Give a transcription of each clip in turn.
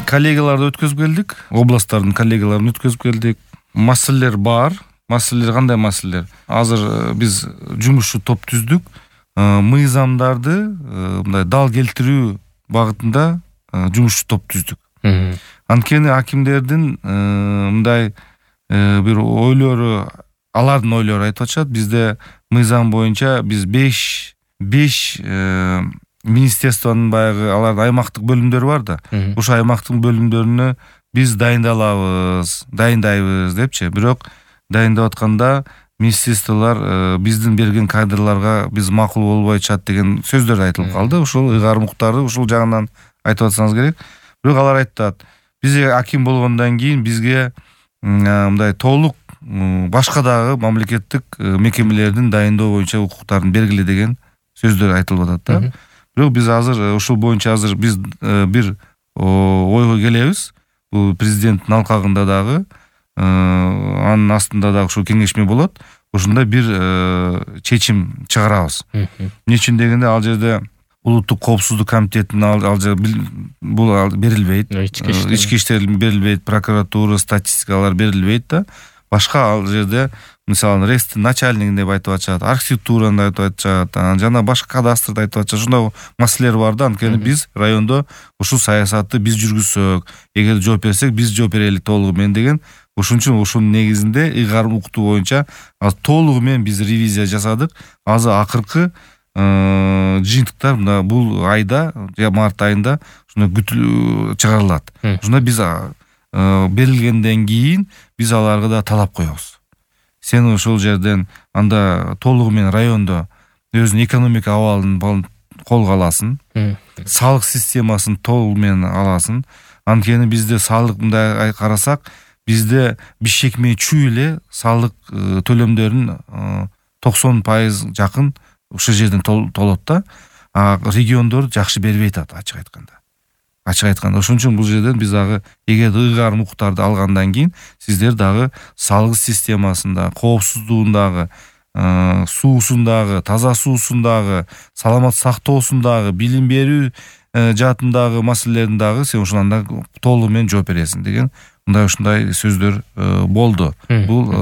коллегаларды өткөзүп келдик, областтардын коллегаларын өткөзүп келдик. Маселелер бар. Маселелер кандай маселелер? Азыр биз жумушчу топ түздүк. Мыйзамдарды мындай дал келтирүү багытында жумушчу топ түздүк. Анткени акимдердин мындай бир ойлору, алардын ойлору айтып атышат. Бизде мыйзам боюнча биз 5 министерствонун баягы алардын аймактык бөлүмдөрү бар да. Ошо аймактык бөлүмдөрүнө биз дайындайбыз депчи. Бирок дайындап атканда министрликтер биздин берген кадрларга биз макул болбой атышат деген сөздөр айтылып калды. Ушул ыйгарым уктарды ушул жагынан айтып атсаңыз керек. Бирок алар айтат, биз аким болгондон кийин бизге мындай толук башка дагы мамлекеттик мекемелердин дайындоо боюнча укуктарын бергиле деген сөздөр айтылып атат да. Бирок биз азыр ушул боюнча азыр биз бир ойго келебиз. Бул президенттин алкагында дагы анын астында дагы ушул кеңешме болот. Ошондой бир чечим чыгарабыз. Эмне үчүн дегенде ал жерде улуттук коопсуздук комитетине бул берилбейт. Ички иштер берилбейт, прокуратура, статистикалар берилбейт да. Башка ал жерде мисалы рейстин начальнигин деп айтып атышат, архитектураны айтып атышат, жана башка кадастрды айтып атышат. Ушундай маселелер бар да. Анткени биз райондо ушул саясатты биз жүргүзсөк, эгер жооп берсек, биз жооп берели толугу менен деген. Ошон үчүн ушунун негизинде ыйгарым уктуу боюнча толугу менен биз ревизия жасадык. Азыр акыркы жыйынтыктар мына бул айда, март айында ушундай чыгарылат. Ушунда биз берилгенден кийин биз аларга да талап коебуз. Сен ошол жерден анда толугу менен райондо өзүнүн экономика абалын колго аласың, салык системасын толугу менен аласың. Анткени бизде салык мындай карасак, бизде Бишкекме чүй эле салык төлөмдөрүн 90% жакын ушул жерден толот да. Региондор жакшы бербей атат, ачык айтканда. Ошон үчүн бул жерден биз дагы эгер ыйгарым укуктарды алгандан кийин сиздер дагы салык системасында, коопсуздугундагы, суусундагы, таза суусундагы, саламат сактоосундагы, билим берүү жаатындагы маселелерин дагы сен ушундан толугу менен жооп бересиң деген ушундай сөздөр болду бул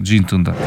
жыйынтыгында.